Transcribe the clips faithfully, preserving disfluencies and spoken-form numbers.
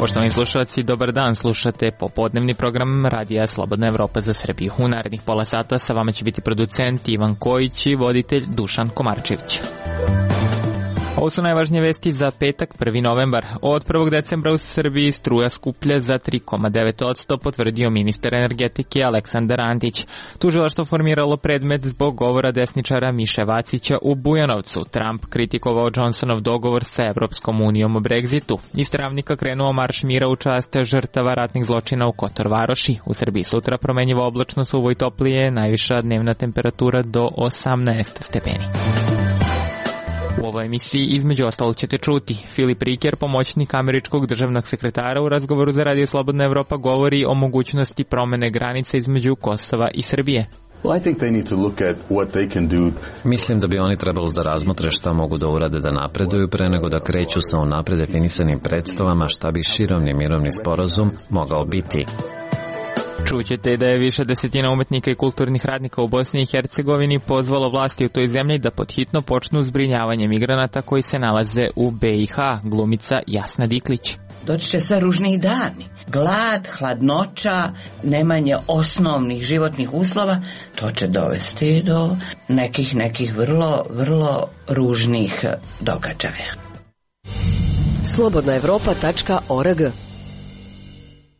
Poštovani slušalci, dobar dan, slušate popodnevni program Radija Slobodna Evropa za Srbiju. U narednih pola sata sa vama će biti producent Ivan Kojić i voditelj Dušan Komarčević. Ovo su najvažnije vesti za petak, prvi novembar. Od prvog decembra u Srbiji struja skuplja za tri zarez devet posto, potvrdio ministar energetike Aleksandar Antić. Tužilaštvo formiralo predmet zbog govora desničara Miše Vacića u Bujanovcu. Trump kritikovao Johnsonov dogovor sa Evropskom unijom o Brexitu. Iz Travnika krenuo marš mira u čast žrtava ratnih zločina u Kotor Varoši. U Srbiji sutra promenjivo oblačno, suvo i toplije, najviša dnevna temperatura do osamnaest stepeni. U ovoj emisiji između ostalog ćete čuti. Filip Riker, pomoćnik američkog državnog sekretara, u razgovoru za Radio Slobodna Evropa govori o mogućnosti promene granica između Kosova i Srbije. Mislim da bi oni trebalo da razmotre šta mogu da urade da napreduju pre nego da kreću sa unapred definisanim predstavama šta bi širovni mirovni sporazum mogao biti. Čućete da je više desetina umetnika i kulturnih radnika u Bosni i Hercegovini pozvalo vlasti u toj zemlji da podhitno počnu zbrinjavanje migranata koji se nalaze u be i ha, glumica Jasna Diklić. Doći će sve ružniji dani. Glad, hladnoća, nemanje osnovnih životnih uslova, to će dovesti do nekih, nekih vrlo, vrlo ružnih događaja. slobodna evropa tačka org.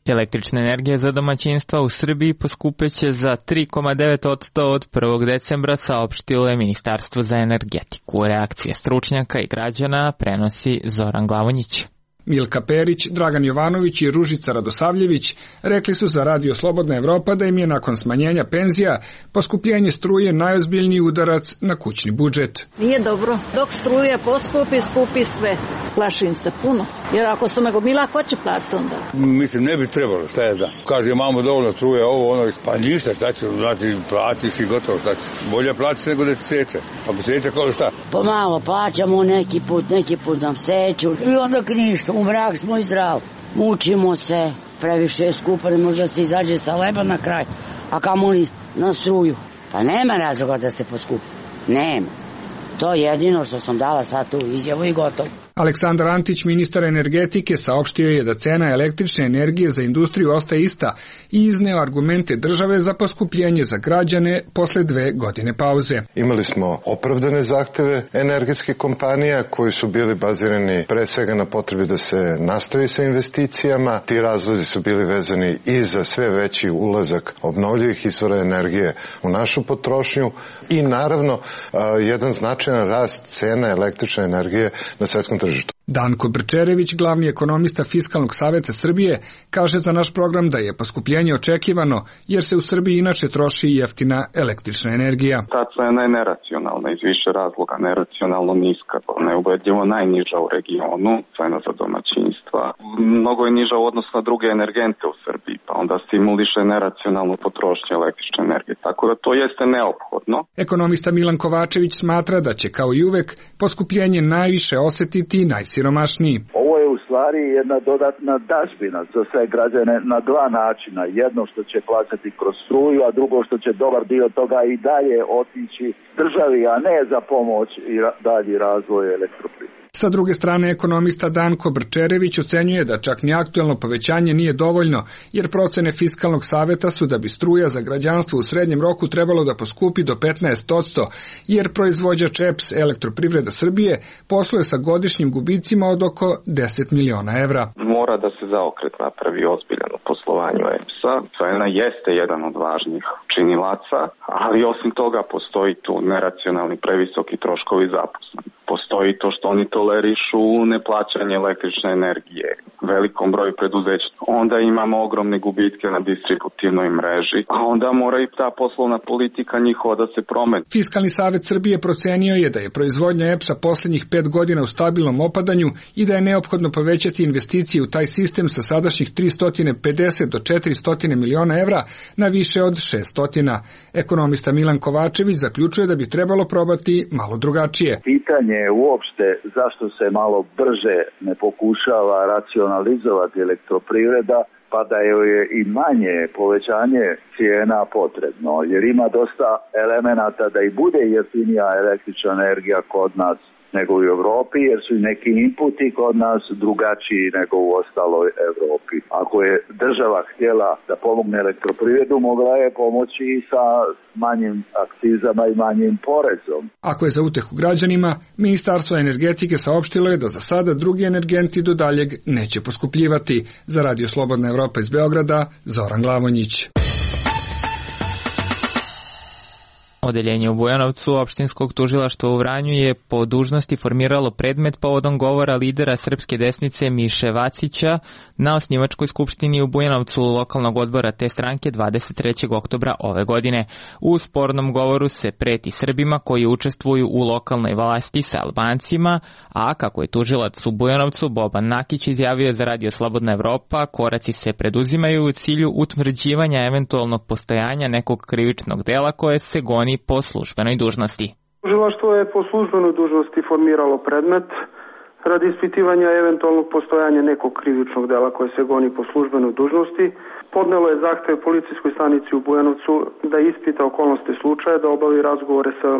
Električna energija za domaćinstva u Srbiji poskupeće za tri zarez devet posto od prvog decembra, saopštilo je Ministarstvo za energetiku. Reakcije stručnjaka i građana prenosi Zoran Glavonjić. Milka Perić, Dragan Jovanović i Ružica Radosavljević rekli su za Radio Slobodna Evropa da im je nakon smanjenja penzija poskupljenje struje najozbiljniji udarac na kućni budžet. Nije dobro. Dok struje poskupi, skupi sve. Plašim se puno. Jer ako sam nagomila, ko će platiti onda? Mislim, ne bi trebalo, šta je da. Kaže, imamo dovoljno struje, ovo, ono, pa ništa, šta će, znači, platiš i gotovo, šta će. Bolje platiš nego da ti seče. Ako seče, kao šta? Pomalo plaćamo neki put, neki put nam seću. I onda ništa, u mrak smo i zdrav. Mučimo se, previše je skupo, ne može da se izađe sa leba na kraj. A kamoli na struju. Pa nema razloga da se poskupi. Nema. To je jedino što sam dala sad tu izjavu i gotovo. Aleksandar Antić, ministar energetike, saopštio je da cena električne energije za industriju ostaje ista i izneo argumente države za poskupljenje za građane posle dve godine pauze. Imali smo opravdane zahteve energetskih kompanija koji su bili bazirani pre svega na potrebi da se nastavi sa investicijama. Ti razlozi su bili vezani i za sve veći ulazak obnovljivih izvora energije u našu potrošnju i naravno jedan značajan rast cena električne energije na svetskom tržištu. Danko Brčerević, glavni ekonomista Fiskalnog saveta Srbije, kaže za naš program da je poskupljenje očekivano, jer se u Srbiji inače troši jeftina električna energija. Ta cena je neracionalna iz više razloga, neracionalno niska, neubedljivo najniža u regionu, cena za domaćinstva. Mnogo je niža u odnosu na druge energente u Srbiji, pa onda stimuliše neracionalnu potrošnju električne energije, tako da to jeste neophodno. Ekonomista Milan Kovačević smatra da će kao i uvek poskupljenje najviše osetiti najsiromašniji. Ovo je u stvari jedna dodatna dažbina za sve građane na dva načina. Jedno što će plaćati kroz struju, a drugo što će dobar dio toga i dalje otići državi, a ne za pomoć i dalji razvoj elektroprivrede. Sa druge strane, ekonomista Danko Brčerević ocenjuje da čak ni aktuelno povećanje nije dovoljno, jer procene Fiskalnog saveta su da bi struja za građanstvo u srednjem roku trebalo da poskupi do petnaest posto, jer proizvođač E P S Elektroprivreda Srbije posluje sa godišnjim gubicima od oko deset miliona evra. Mora da se zaokret napravi ozbiljan u poslovanju E P S-a. Cena jeste jedan od važnih činilaca, ali osim toga postoji tu neracionalni previsoki troškovi zaposlenih. Postoji to što oni tolerišu neplaćanje električne energije velikom broju preduzeća. Onda imamo ogromne gubitke na distributivnoj mreži, a onda mora i ta poslovna politika njihova da se promeni. Fiskalni savet Srbije procenio je da je proizvodnja E P S-a poslednjih pet godina u stabilnom opadanju i da je neophodno povećati investicije u taj sistem sa sadašnjih tristo pedeset do četiristo miliona evra na više od šesto. Ekonomista Milan Kovačević zaključuje da bi trebalo probati malo drugačije. Pitanje je uopšte zašto se malo brže ne pokušava racionalizovati elektroprivreda pa da je i manje povećanje cijena potrebno, jer ima dosta elemenata da i bude jeftinija električna energija kod nas nego u Europi, jer su neki inputi kod nas drugačiji nego u ostaloj Europi. Ako je država htjela da pomogne elektroprivredu, mogla je pomoći i sa manjim akcizama i manjim porezom. Ako je za utehu građanima, Ministarstvo energetike saopštilo je da za sada drugi energenti do daljeg neće poskupljivati. Za Radio Slobodna Evropa iz Beograda, Zoran Glavonjić. Odeljenje u Bujanovcu opštinskog tužilaštva u Vranju je po dužnosti formiralo predmet povodom govora lidera srpske desnice Miše Vacića na osnivačkoj skupštini u Bujanovcu lokalnog odbora te stranke dvadeset trećeg oktobra ove godine. U spornom govoru se preti Srbima koji učestvuju u lokalnoj vlasti sa Albancima, a kako je tužilac u Bujanovcu Boban Nakić izjavio za Radio Slobodna Evropa, koraci se preduzimaju u cilju utvrđivanja eventualnog postojanja nekog krivičnog dela koje se goni po službenoj dužnosti. Tužilaštvo je po službenoj dužnosti formiralo predmet radi ispitivanja eventualnog postojanja nekog krivičnog dela koje se goni po službenoj dužnosti. Podnelo je zahtev policijskoj stanici u Bujanovcu da ispita okolnosti slučaja, da obavi razgovore sa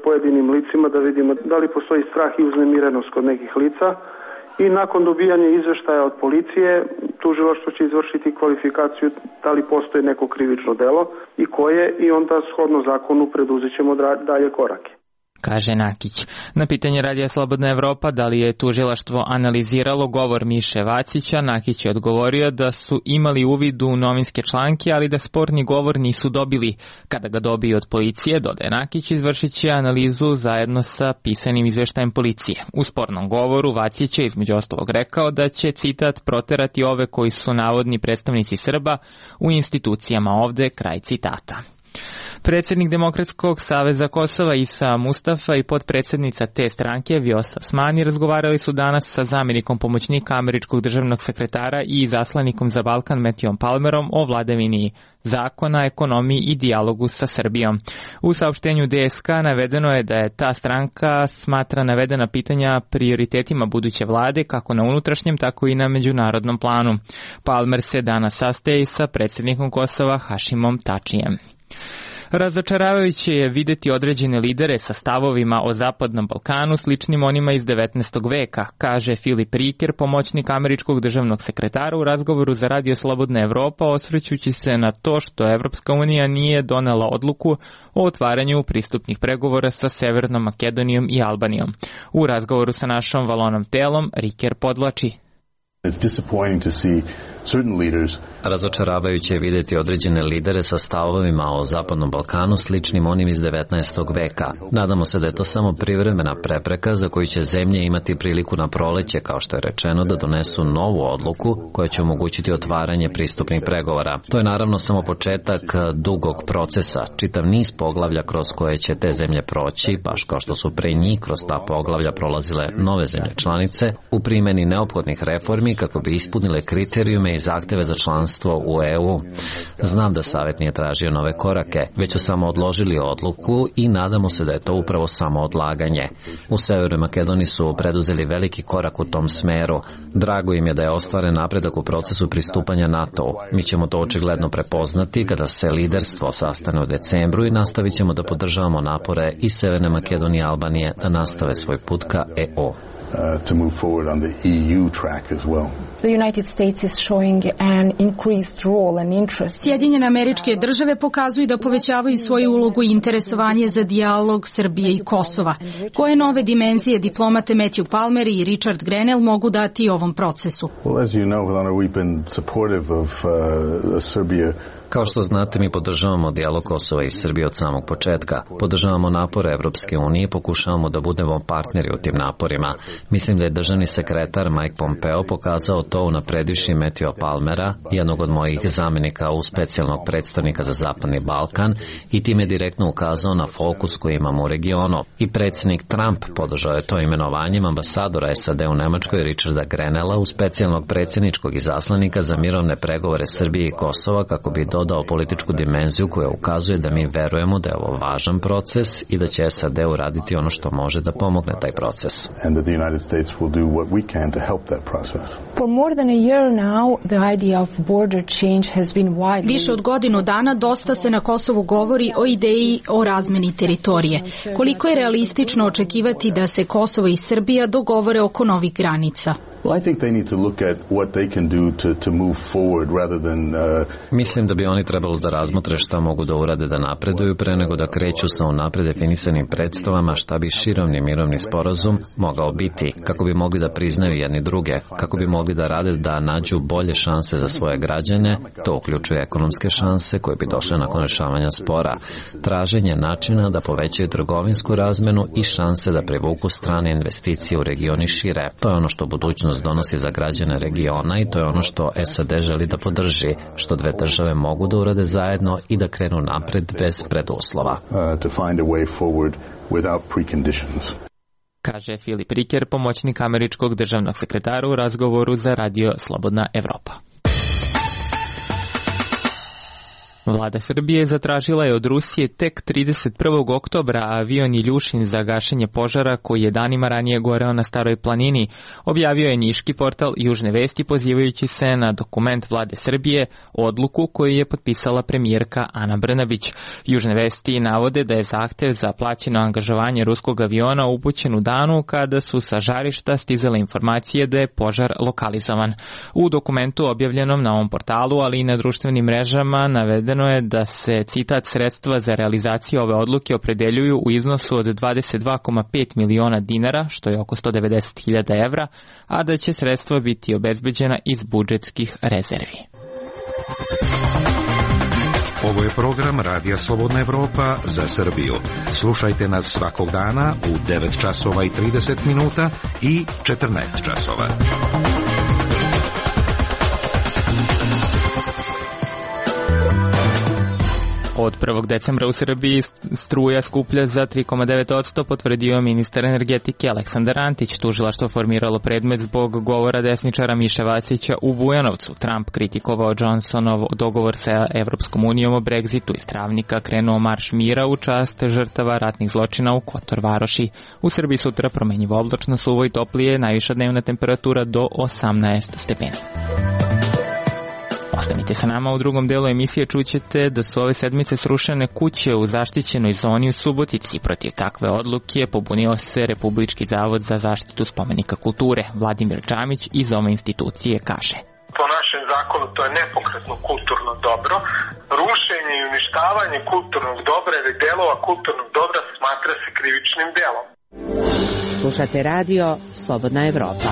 pojedinim licima, da vidimo da li postoji strah i uznemirenost kod nekih lica. I nakon dobijanja izveštaja od policije, tužilaštvo će izvršiti kvalifikaciju da li postoji neko krivično delo i koje, i onda shodno zakonu preduzet ćemo dalje korake. Kaže Nakić. Na pitanje Radija Slobodna Evropa da li je tužilaštvo analiziralo govor Miše Vacića, Nakić je odgovorio da su imali uvid u novinske članke, ali da sporni govor nisu dobili. Kada ga dobiju od policije, dodaje Nakić, izvršit će analizu zajedno sa pisanim izveštajem policije. U spornom govoru Vacić je između ostalog rekao da će, citat, proterati ove koji su navodni predstavnici Srba u institucijama ovde, kraj citata. Predsjednik Demokratskog saveza Kosova Isa Mustafa i potpredsjednica te stranke Vjosa Osmani razgovarali su danas sa zamjenikom pomoćnika američkog državnog sekretara i izaslanikom za Balkan Matthewom Palmerom o vladavini zakona, ekonomiji i dijalogu sa Srbijom. U saopštenju D S K navedeno je da je ta stranka smatra navedena pitanja prioritetima buduće vlade kako na unutrašnjem, tako i na međunarodnom planu. Palmer se danas sastaje sa predsjednikom Kosova Hašimom Tačijem. Razočaravajuće je videti određene lidere sa stavovima o Zapadnom Balkanu sličnim onima iz devetnaestog veka, kaže Filip Riker, pomoćnik američkog državnog sekretara u razgovoru za Radio Slobodna Evropa, osvrćući se na to što Evropska unija nije donela odluku o otvaranju pristupnih pregovora sa Severnom Makedonijom i Albanijom. U razgovoru sa našom Valonom Telom, Riker podlači: Razočaravajuće je vidjeti određene lidere sa stavovima o Zapadnom Balkanu sličnim onim iz devetnaestog veka. Nadamo se da je to samo privremena prepreka za koju će zemlje imati priliku na proleće, kao što je rečeno, da donesu novu odluku koja će omogućiti otvaranje pristupnih pregovora. To je naravno samo početak dugog procesa, čitav niz poglavlja kroz koje će te zemlje proći, baš kao što su pre njih kroz ta poglavlja prolazile nove zemlje članice, u primjeni neophodnih reformi kako bi ispunile kriterijume i zahteve za članstvo u E U. Znam da Savet nije tražio nove korake, već su samo odložili odluku i nadamo se da je to upravo samo odlaganje. U Severnoj Makedoniji su preduzeli veliki korak u tom smeru. Drago im je da je ostvaren napredak u procesu pristupanja NATO-u. Mi ćemo to očigledno prepoznati kada se liderstvo sastane u decembru i nastavit ćemo da podržavamo napore i Severne Makedonije i Albanije da nastave svoj put ka E U. Uh, to move forward on the E U track as well. The United States is showing an increased role and interest. Sjedinjene Američke Države pokazuju da povećavaju svoju ulogu i interesovanje za dijalog Srbije i Kosova. Koje nove dimenzije diplomate Matthew Palmer i Richard Grenell mogu dati ovom procesu? Well, as you know, Helena, we've been supportive of uh, Serbia. Kao što znate, mi podržavamo dijalog Kosova i Srbije od samog početka. Podržavamo napore Evropske unije i pokušavamo da budemo partneri u tim naporima. Mislim da je državni sekretar Mike Pompeo pokazao to unapredivši Matthewa Palmera, jednog od mojih zamjenika u specijalnog predstavnika za Zapadni Balkan, i time direktno ukazao na fokus koji imamo u regionu. I predsjednik Trump podržao je to imenovanjem ambasadora S A D u Nemačkoj Richarda Grenella u specijalnog predsjedničkog izaslanika za mirovne pregovore Srbije i Kosova kako bi dodao političku dimenziju koja ukazuje da mi verujemo da je ovo važan proces i da će S A D uraditi ono što može da pomogne taj proces. And that the United States will do what we can to help that process. For more than a year now, the idea of border change has been widely... Više od godinu dana dosta se na Kosovu govori o ideji o razmeni teritorije. Koliko je realistično očekivati da se Kosovo i Srbija dogovore oko novih granica? Well, I think they need to look at what they can do to, to move forward rather than... Uh... Mislim da bi oni trebalo da razmotre šta mogu da urade da napreduju pre nego da kreću sa unapred definisanim predstavama šta bi širovni mirovni sporazum mogao biti, kako bi mogli da priznaju jedni druge, kako bi mogli da rade da nađu bolje šanse za svoje građane, to uključuje ekonomske šanse koje bi došle nakon rešavanja spora, traženje načina da povećaju trgovinsku razmenu i šanse da privuku strane investicije u regioni šire. To je ono što budućnost donosi za građane regiona i to je ono što S A D želi da podrži, što dve države mogu da urade zajedno i da krenu napred bez preduslova. Uh, to find a way forward without preconditions. Kaže Filip Riker, pomoćnik američkog državnog sekretara u razgovoru za radio Slobodna Evropa. Vlada Srbije zatražila je od Rusije tek trideset prvog oktobra avion Iljušin za gašenje požara koji je danima ranije goreo na Staroj planini, objavio je niški portal Južne vesti pozivajući se na dokument Vlade Srbije, odluku koju je potpisala premijerka Ana Brnabić. Južne vesti navode da je zahtev za plaćeno angažovanje ruskog aviona upućen u danu kada su sa žarišta stizale informacije da je požar lokalizovan. U dokumentu objavljenom na ovom portalu, ali i na društvenim mrežama, navedeno je da se, citat, sredstva za realizaciju ove odluke opredeljuju u iznosu od dvadeset dva zarez pet miliona dinara, što je oko sto devedeset hiljada evra, a da će sredstva biti obezbeđena iz budžetskih rezervi. Ovo je program Radija Slobodna Evropa za Srbiju. Slušajte nas svakog dana u devet časova i trideset minuta i četrnaest časova. Od prvog decembra u Srbiji struja skuplja za tri zarez devet posto, potvrdio ministar energetike Aleksandar Antić. Tužilaštvo formiralo predmet zbog govora desničara Miše Vacića u Bujanovcu. Trump kritikovao Johnsonov dogovor sa Evropskom unijom o Brexitu. Iz Travnika krenuo marš mira u čast žrtava ratnih zločina u Kotor Varoši. U Srbiji sutra promenjivo oblačno, suvo i toplije, najviša dnevna temperatura do osamnaest stepeni. Ostanite sa nama, u drugom delu emisije čućete da su ove sedmice srušene kuće u zaštićenoj zoni u Subotici. Protiv takve odluke pobunio se Republički zavod za zaštitu spomenika kulture. Vladimir Čamić iz ove institucije kaže: po našem zakonu to je nepokretno kulturno dobro. Rušenje i uništavanje kulturnog dobra ili delova kulturnog dobra smatra se krivičnim delom. Slušate radio Slobodna Evropa.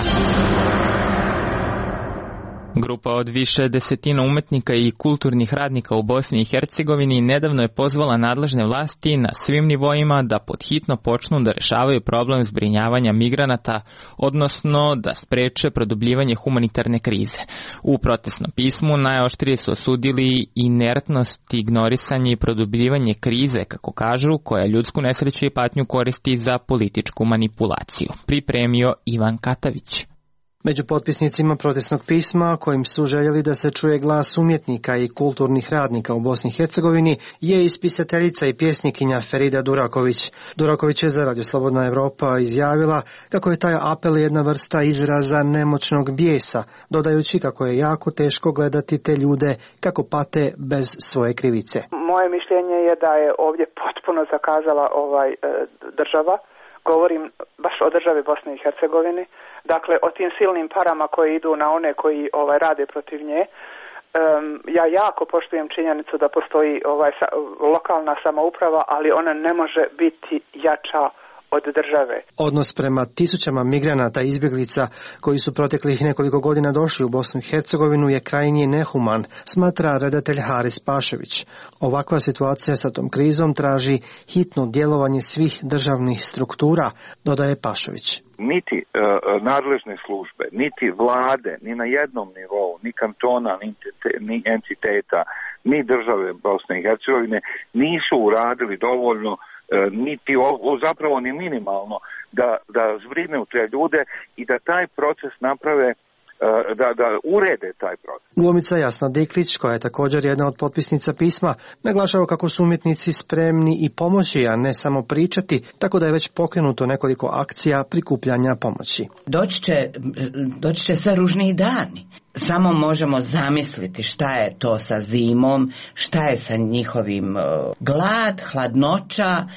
Grupa od više desetina umetnika i kulturnih radnika u Bosni i Hercegovini nedavno je pozvala nadležne vlasti na svim nivoima da podhitno počnu da rešavaju problem zbrinjavanja migranata, odnosno da spreče produbljivanje humanitarne krize. U protestnom pismu najoštrije su osudili inertnost, ignorisanje i produbljivanje krize, kako kažu, koja ljudsku nesreću i patnju koristi za političku manipulaciju. Pripremio Ivan Katavić. Među potpisnicima protestnog pisma, kojim su željeli da se čuje glas umjetnika i kulturnih radnika u Bosni i Hercegovini, je i spisateljica i pjesnikinja Ferida Duraković. Duraković je za Radio Slobodna Evropa izjavila kako je taj apel jedna vrsta izraza nemoćnog bijesa, dodajući kako je jako teško gledati te ljude kako pate bez svoje krivice. Moje mišljenje je da je ovdje potpuno zakazala ovaj e, država. Govorim baš o državi Bosne i Hercegovine. Dakle, o tim silnim parama koje idu na one koji ovaj rade protiv nje. Um, ja jako poštujem činjenicu da postoji ovaj sa, lokalna samouprava, ali ona ne može biti jača od države. Odnos prema tisućama migranata i izbjeglica koji su proteklih nekoliko godina došli u Bosnu i Hercegovinu je krajnje nehuman, smatra redatelj Haris Pašević. Ovakva situacija sa tom krizom traži hitno djelovanje svih državnih struktura, dodaje Pašević. Niti uh, nadležne službe, niti vlade, ni na jednom nivou, ni kantona, ni, ni entiteta, ni države Bosne i Hercegovine nisu uradili dovoljno, uh, niti o, zapravo ni minimalno, da, da zbrinu te ljude i da taj proces naprave, Da, da urede taj proces. Glumica Jasna Diklić, koja je također jedna od potpisnica pisma, naglašava kako su umjetnici spremni i pomoći, a ne samo pričati, tako da je već pokrenuto nekoliko akcija prikupljanja pomoći. Doći će, doći će sve ružniji dani. samo možemo zamisliti šta je to sa zimom, šta je sa njihovim glad, hladnoća,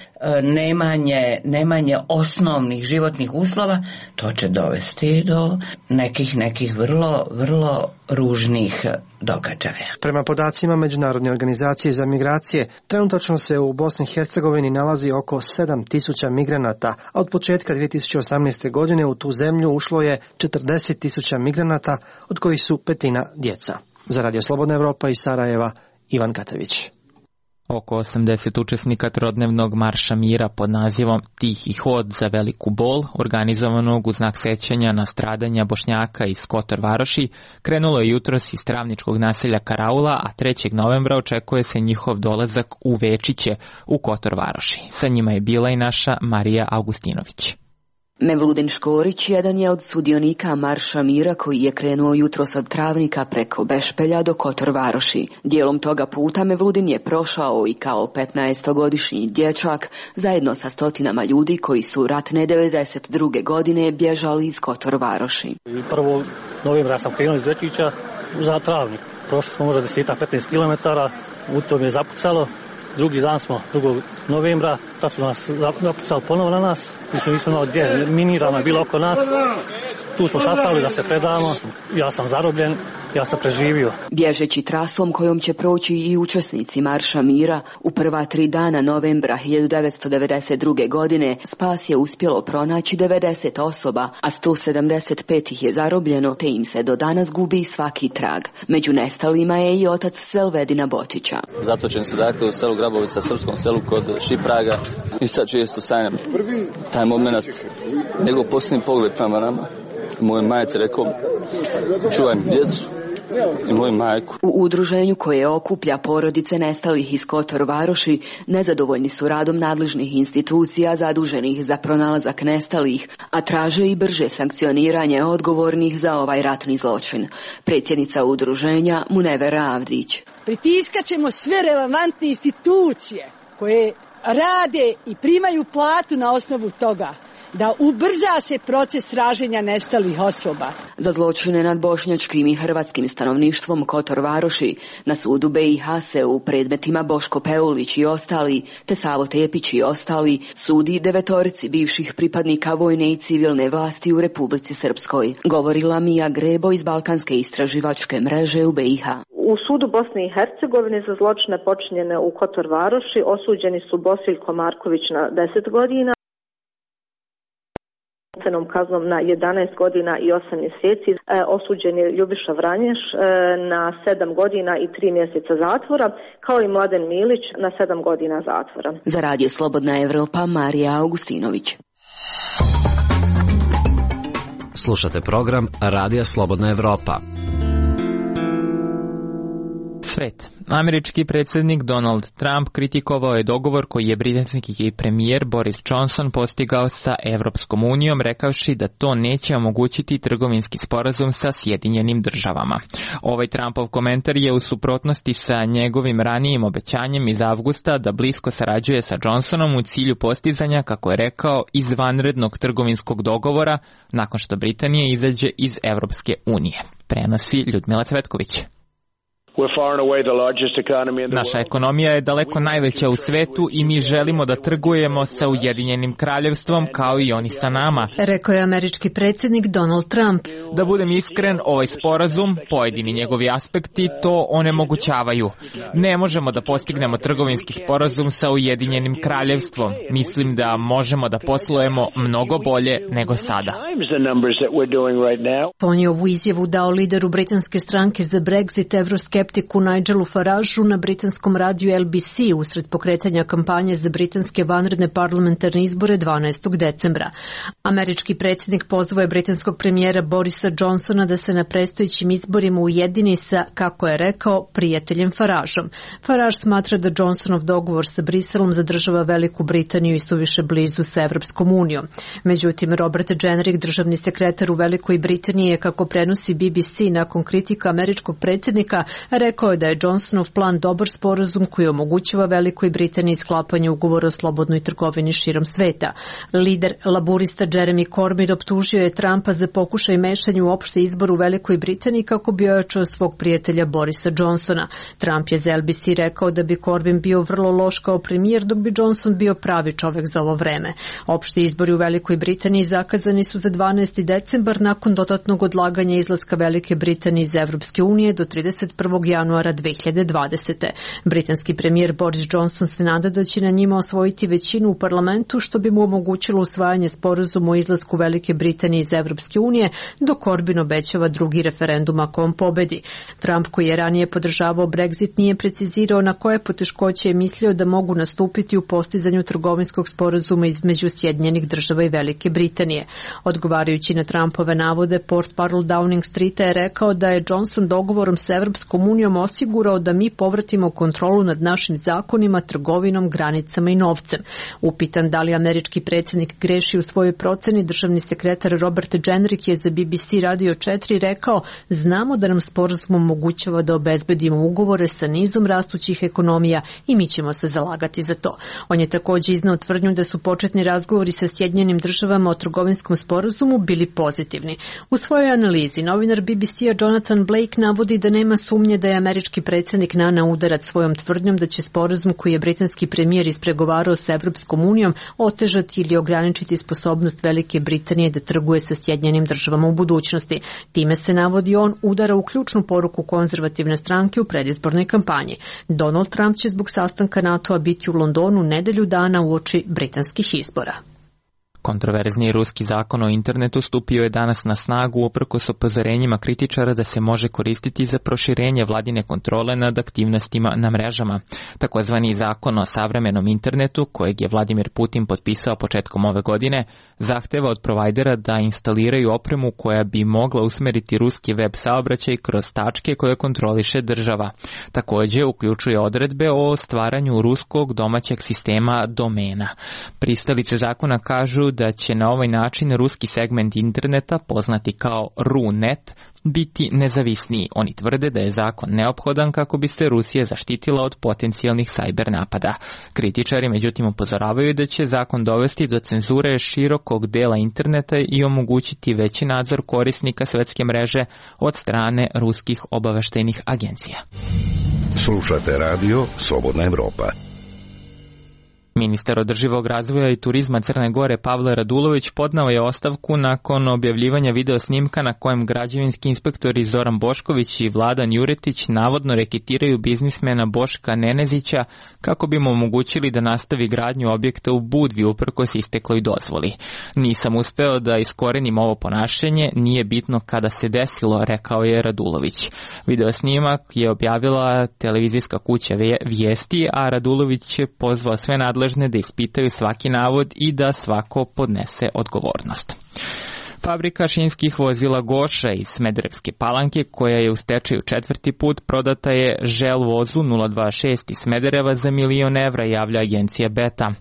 nemanje, nemanje osnovnih životnih uslova, to će dovesti do nekih nekih vrlo, vrlo ružnih događaja. Prema podacima Međunarodne organizacije za migracije, trenutačno se u Bosni i Hercegovini nalazi oko sedam tisuća migranata, a od početka dvije tisuće osamnaeste. godine u tu zemlju ušlo je četrdeset tisuća migranata, od kojih su petina djeca. Za Radio Slobodna Evropa iz Sarajeva, Ivan Katavić. Oko osamdeset učesnika trodnevnog marša mira pod nazivom Tihi hod za veliku bol, organizovanog u znak sećanja na stradanja Bošnjaka iz Kotor Varoši, krenulo je jutros iz travničkog naselja Karaula, a trećeg novembra očekuje se njihov dolazak u Večiće u Kotor Varoši. Sa njima je bila i naša Marija Augustinović. Mevludin Škorić jedan je od sudionika Marša mira koji je krenuo jutros od Travnika preko Bešpelja do Kotor Varoši. Dijelom toga puta Mevludin je prošao i kao petnaestogodišnji dječak zajedno sa stotinama ljudi koji su ratne devedeset druge. godine bježali iz Kotor Varoši. Prvo novembra sam krenuo iz Večića za Travnik. Prošli smo možda deset do petnaest kilometara, u tom je zapucalo. Drugi dan smo, drugog novembra, tad su nas zapucali ponovo na nas, više nismo imali gdje, minirano je bilo oko nas. Tu smo sastavili da se predamo, ja sam zarobljen, ja sam preživio. Bježeći trasom kojom će proći i učesnici Marša mira, u prva tri dana novembra hiljadu devetsto devedeset druge. godine spas je uspjelo pronaći devedeset osoba, a sto sedamdeset pet ih je zarobljeno, te im se do danas gubi svaki trag. Među nestalima je i otac Selvedina Botića. Zatočeni su dakle u selu Grabovica, srpskom selu kod Šipraga, i sad često sanjam taj moment, njegov posljednji pogled prema nama. Moj majci rekao, čuvaj mi djecu i moju majku. U udruženju koje okuplja porodice nestalih iz Kotor Varoši nezadovoljni su radom nadležnih institucija zaduženih za pronalazak nestalih, a traže i brže sankcioniranje odgovornih za ovaj ratni zločin. Predsjednica udruženja Munevera Avdić. Pritiskat ćemo sve relevantne institucije koje rade i primaju platu na osnovu toga da ubrza se proces traženja nestalih osoba. Za zločine nad bošnjačkim i hrvatskim stanovništvom Kotor Varoši na sudu B i H se u predmetima Boško Peulić i ostali, te Savo Tepić i ostali, sudi devetorici bivših pripadnika vojne i civilne vlasti u Republici Srpskoj. Govorila Mija Grebo iz Balkanske istraživačke mreže u B i H. U sudu Bosne i Hercegovine za zločine počinjene u Kotor Varoši osuđeni su Bosiljko Marković na deset godina, kaznom na jedanaest godina i osam mjeseci. E, osuđen je Ljubiša Vranješ e, na sedam godina i tri mjeseca zatvora, kao i Mladen Milić na sedam godina zatvora. Za Radio Slobodna Evropa, Marija Augustinović. Slušate program Radija Slobodna Evropa. Svet. Američki predsjednik Donald Trump kritikovao je dogovor koji je britanski premijer Boris Johnson postigao sa Evropskom unijom, rekavši da to neće omogućiti trgovinski sporazum sa Sjedinjenim državama. Ovaj Trumpov komentar je u suprotnosti sa njegovim ranijim obećanjem iz avgusta da blisko sarađuje sa Johnsonom u cilju postizanja, kako je rekao, izvanrednog trgovinskog dogovora nakon što Britanija izađe iz Evropske unije. Prenosi Ljudmila Cvetković. Naša ekonomija je daleko najveća u svetu i mi želimo da trgujemo sa Ujedinjenim kraljevstvom kao i oni sa nama, rekao je američki predsjednik Donald Trump. Da budem iskren, ovaj sporazum, pojedini njegovi aspekti, to onemogućavaju. Ne možemo da postignemo trgovinski sporazum sa Ujedinjenim kraljevstvom. Mislim da možemo da poslujemo mnogo bolje nego sada. On je ovu izjavu dao lideru britanske stranke za Brexit, evroskeptiku Nigelu Farageu na britanskom radiju L B C usred pokretanja kampanje za britanske vanredne parlamentarne izbore dvanaestog decembra. Američki predsjednik pozvao je britanskog premijera Borisa Johnsona da se na predstojećim izborima ujedini sa, kako je rekao, prijateljem Farageom. Farage smatra da Johnsonov dogovor sa Briselom zadržava Veliku Britaniju i suviše blizu sa Evropskom unijom. Međutim, Robert Jenrick, državni sekretar u Velikoj Britaniji, je, kako prenosi B B C nakon kritika američkog predsjednika, Rekao je da je Johnsonov plan dobar sporazum koji omogućava Velikoj Britaniji sklapanje ugovora o slobodnoj trgovini širom sveta. Lider laburista Jeremy Corbyn optužio je Trumpa za pokušaj mešanja u opšti izbor u Velikoj Britaniji kako bi ojačao svog prijatelja Borisa Johnsona. Trump je za L B C rekao da bi Corbyn bio vrlo loš kao premijer, dok bi Johnson bio pravi čovek za ovo vreme. Opšti izbori u Velikoj Britaniji zakazani su za dvanaesti decembar nakon dodatnog odlaganja izlaska Velike Britanije iz Evropske unije do trideset prvog januara dve hiljade dvadesete. Britanski premijer Boris Johnson se nada da će na njima osvojiti većinu u parlamentu, što bi mu omogućilo usvajanje sporazuma o izlasku Velike Britanije iz Evropske unije, dok Corbyn obećava drugi referendum ako on pobedi. Trump, koji je ranije podržavao Brexit, nije precizirao na koje poteškoće je mislio da mogu nastupiti u postizanju trgovinskog sporazuma između Sjedinjenih država i Velike Britanije. Odgovarajući na Trumpove navode, portparol Downing Streeta je rekao da je Johnson dogovorom sa Evropskom unijom osigurao da mi povratimo kontrolu nad našim zakonima, trgovinom, granicama i novcem. Upitan da li američki predsjednik greši u svojoj proceni, državni sekretar Robert Jenrick je za B B C Radio četiri rekao: znamo da nam sporazum omogućava da obezbedimo ugovore sa nizom rastućih ekonomija i mi ćemo se zalagati za to. On je također iznao tvrdnju da su početni razgovori sa Sjedinjenim državama o trgovinskom sporazumu bili pozitivni. U svojoj analizi novinar B B C-a Jonathan Blake navodi da nema sumnje da je američki predsjednik naneo udarac svojom tvrdnjom da će sporazum koji je britanski premijer ispregovarao sa Evropskom unijom otežati ili ograničiti sposobnost Velike Britanije da trguje sa Sjedinjenim državama u budućnosti. Time se, navodi on, udara u ključnu poruku konzervativne stranke u predizbornoj kampanji. Donald Trump će zbog sastanka NATO-a biti u Londonu nedelju dana uoči britanskih izbora. Kontroverzni ruski zakon o internetu stupio je danas na snagu uprkos upozorenjima kritičara da se može koristiti za proširenje vladine kontrole nad aktivnostima na mrežama. Takozvani zakon o savremenom internetu, kojeg je Vladimir Putin potpisao početkom ove godine, zahteva od provajdera da instaliraju opremu koja bi mogla usmeriti ruski web saobraćaj kroz tačke koje kontroliše država. Također uključuje odredbe o stvaranju ruskog domaćeg sistema domena. Pristalice zakona kažu da će na ovaj način ruski segment interneta, poznati kao RuNet, biti nezavisniji. Oni tvrde da je zakon neophodan kako bi se Rusija zaštitila od potencijalnih sajber napada. Kritičari međutim upozoravaju da će zakon dovesti do cenzure širokog dela interneta i omogućiti veći nadzor korisnika svetske mreže od strane ruskih obaveštajnih agencija. Slušate radio Slobodna Evropa. Ministar održivog razvoja i turizma Crne Gore Pavle Radulović podnao je ostavku nakon objavljivanja video snimka na kojem građevinski inspektori Zoran Bošković i Vladan Juretić navodno reketiraju biznismena Boška Nenezića kako bi mu omogućili da nastavi gradnju objekta u Budvi uprkos istekloj dozvoli. Nisam uspeo da iskorenim ovo ponašanje, nije bitno kada se desilo, rekao je Radulović. Video snimak je objavila televizijska kuća Vijesti, a Radulović je pozvao sve nadležne da ispitaju svaki navod i da svako podnese odgovornost. Fabrika šinskih vozila Goša iz Smederevske Palanke, koja je u stečaju četvrti put, prodata je Žel vozu nula dva šest iz Smedereva za milion evra, javlja agencija Beta.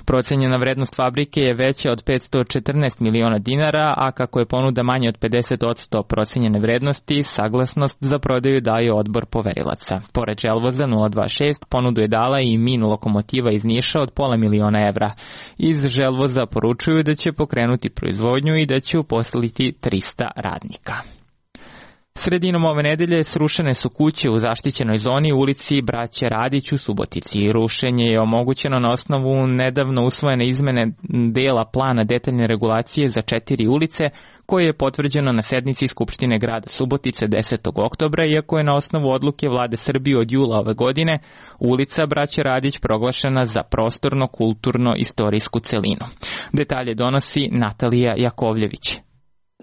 Procenjena vrednost fabrike je veća od petsto četrnaest miliona dinara, a kako je ponuda manja od pedeset posto procenjene vrednosti, saglasnost za prodaju daje odbor poverilaca. Pored Želvoza nula dva šest, ponudu je dala i Min lokomotiva iz Niša od pola miliona evra. Iz Želvoza poručuju da će pokrenuti proizvodnju i da će uposliti trista radnika. Sredinom ove nedelje srušene su kuće u zaštićenoj zoni u ulici Braće Radić u Subotici. Rušenje je omogućeno na osnovu nedavno usvojene izmene dela plana detaljne regulacije za četiri ulice, koje je potvrđeno na sednici Skupštine grada Subotice desetog oktobra, iako je na osnovu odluke Vlade Srbije od jula ove godine ulica Braće Radić proglašena za prostorno-kulturno-istorijsku celinu. Detalje donosi Natalija Jakovljević.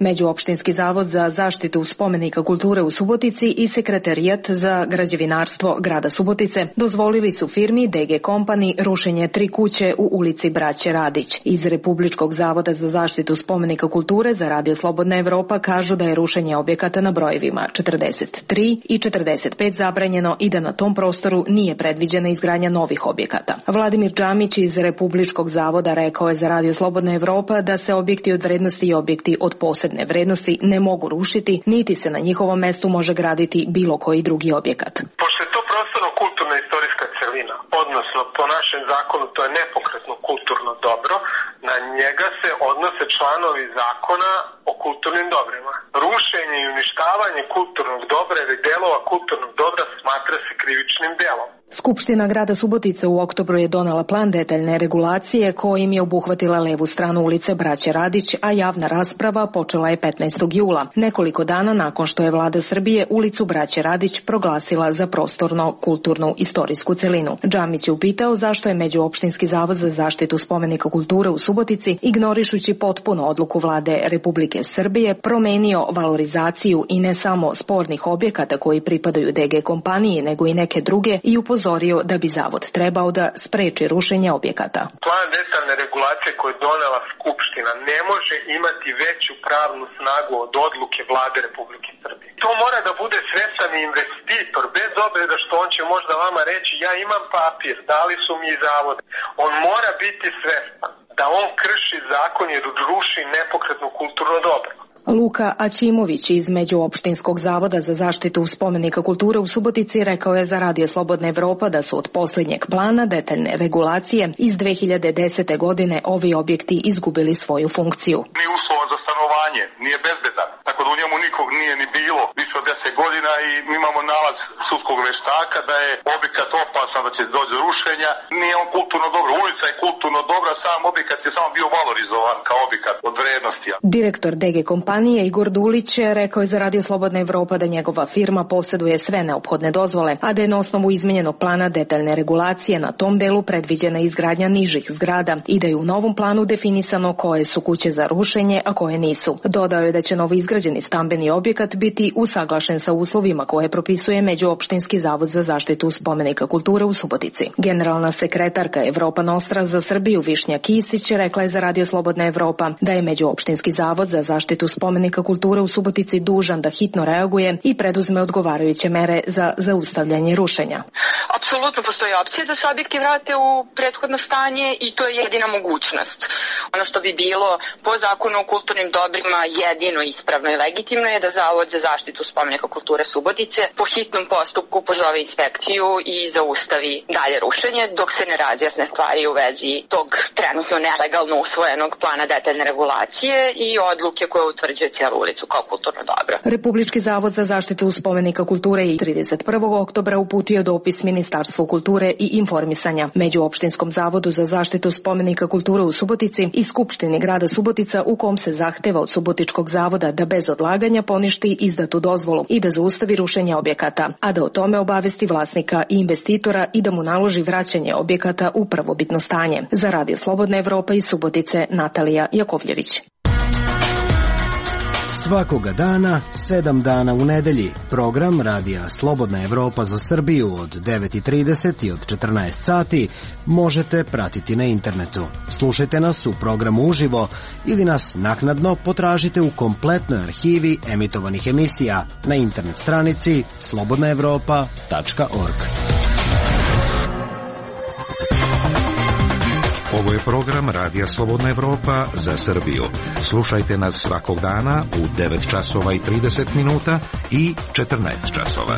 Međuopštinski zavod za zaštitu spomenika kulture u Subotici i Sekretarijat za građevinarstvo grada Subotice dozvolili su firmi D G Company rušenje tri kuće u ulici Braće Radić. Iz Republičkog zavoda za zaštitu spomenika kulture za Radio Slobodna Evropa kažu da je rušenje objekata na brojevima četrdeset tri i četrdeset pet zabranjeno i da na tom prostoru nije predviđena izgradnja novih objekata. Vladimir Džamić iz Republičkog zavoda rekao je za Radio Slobodna Evropa da se objekti od vrednosti i objekti od posebnosti napredne vrednosti ne mogu rušiti, niti se na njihovom mestu može graditi bilo koji drugi objekat. Pošto je to prostorno-kulturna istorijska celina, odnosno po našem zakonu to je nepokretno kulturno dobro, na njega se odnose članovi zakona o kulturnim dobrima. Rušenje i uništavanje kulturnog dobra ili delova kulturnog dobra smatra se krivičnim delom. Skupština grada Subotice u oktobru je donela plan detaljne regulacije kojim je obuhvatila levu stranu ulice Braće Radić, a javna rasprava počela je petnaestog jula, nekoliko dana nakon što je vlada Srbije ulicu Braće Radić proglasila za prostorno kulturnu istorijsku celinu. Džamić je upitao zašto je Međuopštinski zavod za zaštitu spomenika kulture u Subotici, ignorišući potpuno odluku vlade Republike Srbije, promenio valorizaciju i ne samo spornih objekata koji pripadaju D G kompaniji, nego i neke druge i upozorio da bi zavod trebao da spreči rušenje objekata. Plan detaljne regulacije koje je donela Skupština ne može imati veću pravnu snagu od odluke vlade Republike Srbije. To mora da bude svestan investitor, bez obzira što on će možda vama reći ja imam papir, dali su mi zavod. On mora biti svestan da on krši zakon jer ruši nepokretno kulturno dobro. Luka Aćimović iz Međuopštinskog zavoda za zaštitu spomenika kulture u Subotici rekao je za Radio Slobodna Evropa da su od posljednjeg plana detaljne regulacije iz dve hiljade desete. godine ovi objekti izgubili svoju funkciju. Nije uslova za stanovanje, nije bezbedan, tako da u njemu nikog nije ni bilo više od deset godina i mi imamo nalaz sudskog veštaka da je objekat opasan, da će doći do rušenja. Nije on kulturno dobro, ulica je kulturno dobra, sam objekat je samo bio valorizovan kao objekat od vrednosti. Direktor D G kompanije Igor Dulić rekao je za Radio Slobodna Evropa da njegova firma posjeduje sve neophodne dozvole, a da je na osnovu izmenjenog plana detaljne regulacije na tom delu predviđena izgradnja nižih zgrada i da je u novom planu definisano koje su kuće za rušenje, a koje nisu. Dodao je da će novo izgrađeni stambeni objekat biti usaglašen sa uslovima koje propisuje Međuopštinski zavod za zaštitu spomenika kulture u Subotici. Generalna sekretarka Evropa Nostra za Srbiju Višnja Kisić rekla je za Radio Slobodna Evropa da je Međuopštinski zavod za zaštitu spomenika kulture u Subotici dužan da hitno reaguje i preduzme odgovarajuće mere za zaustavljanje rušenja. Apsolutno postoji opcija da se objekti vrate u prethodno stanje i to je jedina mogućnost. Ono što bi bilo po zakonu o kulturnim dobrima jedino ispravno i legitimno je da Zavod za zaštitu spomenika kulture Subotice po hitnom postupku pozove inspekciju i zaustavi dalje rušenje dok se ne razjasne stvari u vezi tog trenutno nelegalno usvojenog plana detaljne regulacije i odluke koje utvrđuje cijelu ulicu kao kulturno dobro. Republički zavod za zaštitu spomenika kulture i trideset prvog oktobra uputio dopis Ministarstvu kulture i informisanja, Međuopštinskom zavodu za zaštitu spomenika kulture u Subotici i Skupštini grada Subotica u kom se zahteva od Subotičkog zavoda da bez odlaganja poništi izdatu dozvolu i da zaustavi rušenje objekata, a da o tome obavesti vlasnika i investitora i da mu naloži vraćanje objekata u prvobitno stanje. Za Radio Slobodna Evropa iz Subotice, Natalija Jakovljević. Svakoga dana, sedam dana u nedelji, program Radija Slobodna Evropa za Srbiju od devet i trideset i od četrnaest sati možete pratiti na internetu. Slušajte nas u programu uživo ili nas naknadno potražite u kompletnoj arhivi emitovanih emisija na internet stranici slobodna evropa tačka org. Ovo je program Radija Slobodna Evropa za Srbiju. Slušajte nas svakog dana u devet časova i trideset minuta i četrnaest časova.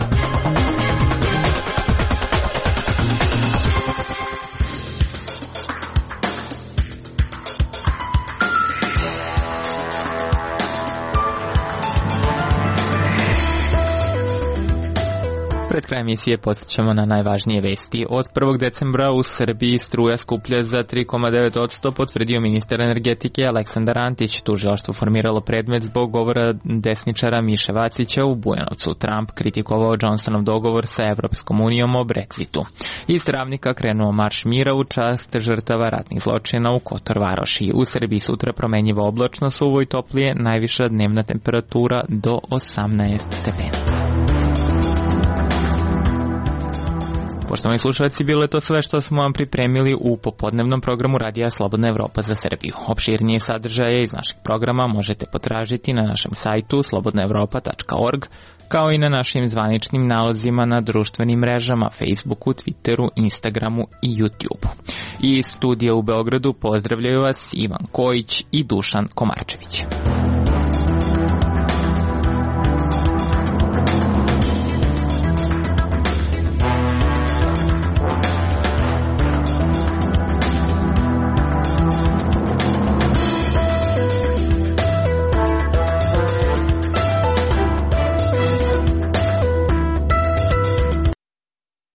Pred krajem emisije podsjećamo na najvažnije vesti. Od prvog decembra u Srbiji struja skuplja za tri zarez devet posto, potvrdio ministar energetike Aleksandar Antić. Tužilaštvo formiralo predmet zbog govora desničara Miše Vacića u Bujanovcu. Trump kritikovao Johnsonov dogovor sa Evropskom unijom o Brexitu. Iz Travnika krenuo marš mira u čast žrtava ratnih zločina u Kotor Varoši. U Srbiji sutra promenjivo oblačno, suvo i toplije, najviša dnevna temperatura do osamnaest stepeni. Poštovani slušalci, bilo je to sve što smo vam pripremili u popodnevnom programu Radija Slobodna Evropa za Srbiju. Opširnije sadržaje iz našeg programa možete potražiti na našem sajtu slobodna evropa tačka org, kao i na našim zvaničnim nalazima na društvenim mrežama Facebooku, Twitteru, Instagramu i YouTubeu. Iz studija u Beogradu pozdravljaju vas Ivan Kojić i Dušan Komarčević.